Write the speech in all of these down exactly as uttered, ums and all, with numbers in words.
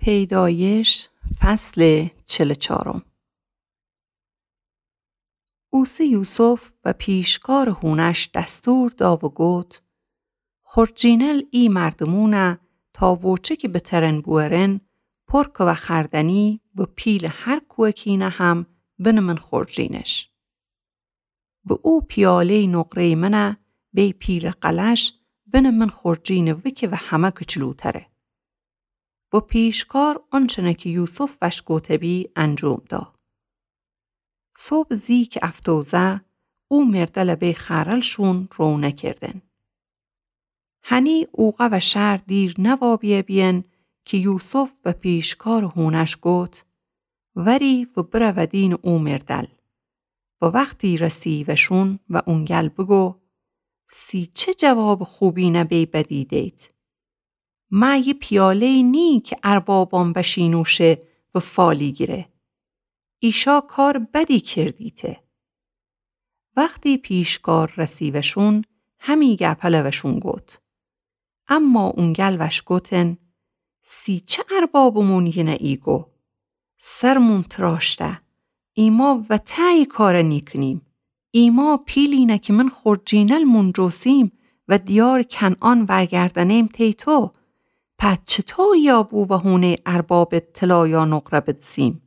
پیدایش، فصل چل و چارم. اوسه یوسف و پیشکارٚ هونش دستور دا و گوت: خورجینل ای مردمونه تا ووچه کی بترن بوئرن، پر که و خوردنی و پیلٚ هر کوکینه هم بنه من خورجینش. و او پیاله‌یٚ نقره‌یٚ منه بی پیلٚ قلش بنه من خورجینٚ وکه و همه کچلوتره. و پیشکار اونچنه کی یوسف وش گوته بی انجوم دا. صبح زی کی افتوزه، او مردل بی خرلشون روونه کردن. هنی اوقه و شهر دیر نوا بیه بیین کی یوسف و پیشکارٚ هونش گوت: وری و برودینٚ او مردل. و وختی رسی وشون و اونگل بگو: سی چه جوابٚ خوبینه بی بدی دید؟ مه یه پیاله‌یی نی کی اربابان وشی نوشه و فالی گیره. ایشا کارٚ بدی کردیته. وختی پیشکار رسی وشون، همی گپل وشون گوت. اما اونگل وش گوتن: سی چه اربابمون یینه ایگو؟ سرمون تراشته، ایما وطأ ای کاره نیکنیم. ایما پیلینه کی من خورجینلمون جوسیم و دیارٚ کنعان ورگردنیم تی تو. په چطو ایابو و هونه‌یٚ اربابٚ طلا یا نقره بدسیم؟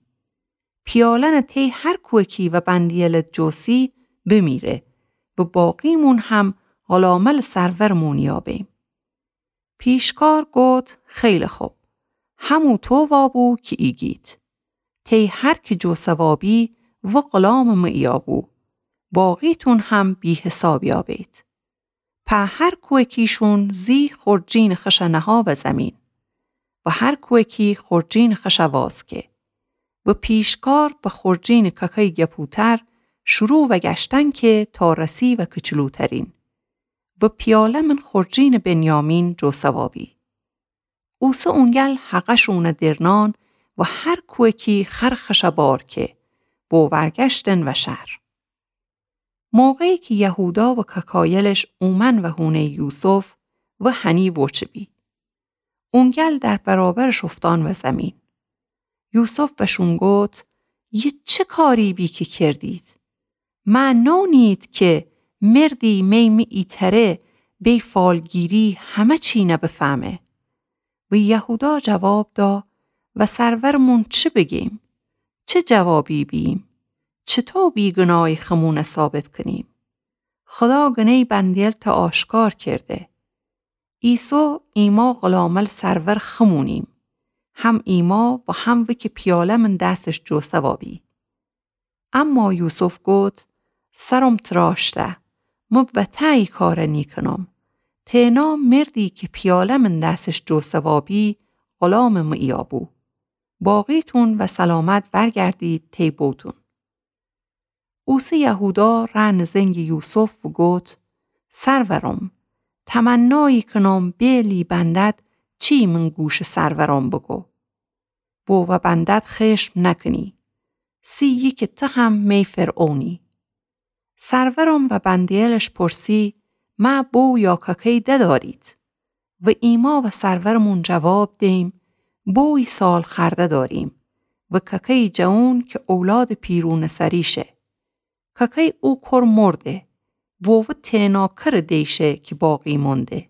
پیالنٚ تی هر کوکی و بندیلٚ جوسی بمیره و باقیمون هم غلاملٚ سرورمون ایابیم. پیشکار گوت: خیلی خوب، همو تو وابو کی ایگید. تی هر کی جوسه وابی و غلامٚ مه ایابو. باقیتون هم بی‌حساب ایابید. په هر کوکیشون زی خورجینٚ خشه نها و زمین و هر کوکی خورجینٚ خشه واز که. و پیشکار به خورجینٚ ککه‌یٚ گپوتر شروع و گشتن که تا رسی و کچلوترین. و پیاله من خورجینٚ بنیامین جوسه وابی. اوسه اونگل حقشونه درنان و هر کوکی خر خشه بار که، بو ورگشتن و شهر. موقعی کی یهودا و ککایلش اومن و هونه‌یٚ یوسف و هنی ووچه بی. اونگل در برابرش اوفتان و زمین. یوسف وشون گوت: یه چه کاری بی کی کردید؟ مه نونید کی مردی می می ایتره بی فالگیری همه چی نه بفهمه؟ و یهودا جواب دا: و سرورمون چه بگیم؟ چه جوابی بییم؟ چطو بیگناهی خمونه ثابت کنیم؟ خدا گنه‌یٚ بندیل ته آشکار کرده. ایسو ایما غلامل سرور خمونیم. هم ایما و هم وکی پیاله من دسش جوسه وابی. اما یوسف گوت: سرم تراشته، مه وطأ ای کاره نیکنم. تنها مردی کی پیاله من دسش جوسه وابی، غلامٚ مه ایابو. باقیتون و سلامت ورگردید تی بوتون. اوسه یهودا رأ نزنگٚ یوسف و گوت: سرورم، تمنایی کنم بیلی بندد چی من گوشٚ سرورم بگو. بو و بندد خشم نکنی. سی یکی ته هم می فرعونی. سرورم و بندیلش پرسی: مه بو یا ککه‌ی ددارید؟ و ایما و سرورمون جواب دیم: بوی سالخورده داریم و ککه‌ی جوون کی اولادٚ پیرونٚ سری شه. ککه‌ی او کر مرده و وه تنها کرٚ دی شه کی باقی مونده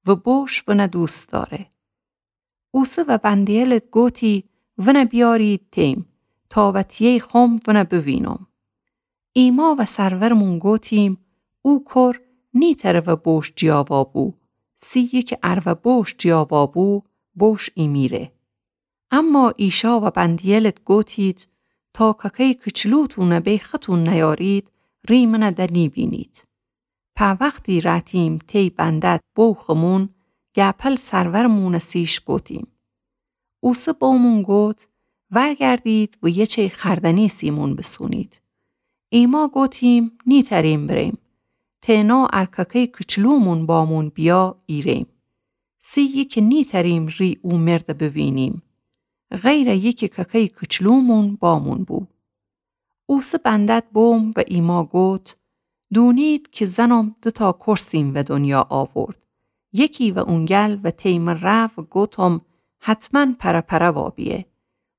و بوش ونه دوست داره. اوسه و بندیلت گوتی: ونه بیارید تیم تا وتیه‌ی خوم ونه بوینم. ایما و سرورمون گوتیم: او کر نیتره و بوش جیا وابو، سی یکی ار و بوش جیا وابو، بوش ایمیره. اما ایشا و بندیلت گوتید: تا ککه‌ی کچلوتونه بی ختون نیارید، ری منه ده نیبینید. په وختی رأتیم تی بندد بو خمون، گپل سرورمونٚ سیش گوتیم. اوسه بومون گوت: ورگردید و یچه‌ی خوردنی سیمون بسونید. ایما گوتیم: نیتریم بریم. تنها ار ککه‌ی کچلومون بامون بیا ایریم. سی یکی نیتریم ری او مرده بوینیم. غیرٚ یکی ککه‌ی کچلومون بامون بو. اوسه بندد بوم و ایما گوت: دونید کی زنم دوتا کر سیم و دنیا آورد. یکی و اونگل و تی مه رأ و گوتم: حتماً پره‌پره وابیه،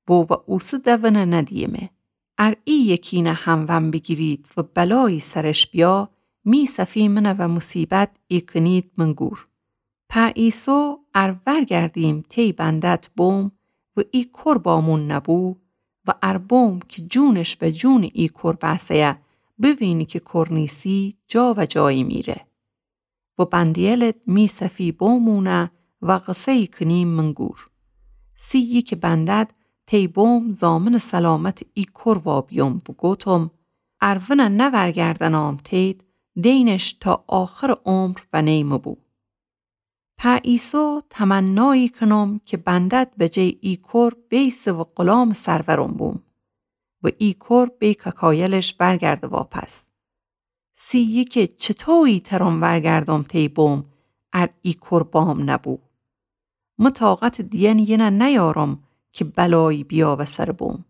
و و اوسه دونه ندییمه. ار ای یکینه همون بیگیرید و بلایی سرش بیا، می صفی منه و مصیبت ایکنید من گور. په ایسو ار ورگردیم تی بندد بوم و ای کور بامون نبو، و ار بوم کی جونش و جون ای کور بأسه‌یه، بوینی کی کور نیسی جا و جایی میره. و بندیلد می صفی بومونه و قصه‌یی کنیم من گور. سی یکی بندد تی بوم ضامن سلامت ای کور وابیوم و گوتم، ار ونه نورگردنام تید، دینش تا آخر عمر و نی مبو. په ایسو تمنایی کنم کی بندد به جای ای کور بیسه و غلام سرورم بوم. و ای کور بی کاکایلش ورگرده واپس. سی یکی چطویی ترم ورگردم تی بوم، ار ای کور بام نبو. مه طاقت دیئن یینه نیارم کی بلایی بیا و سر بوم.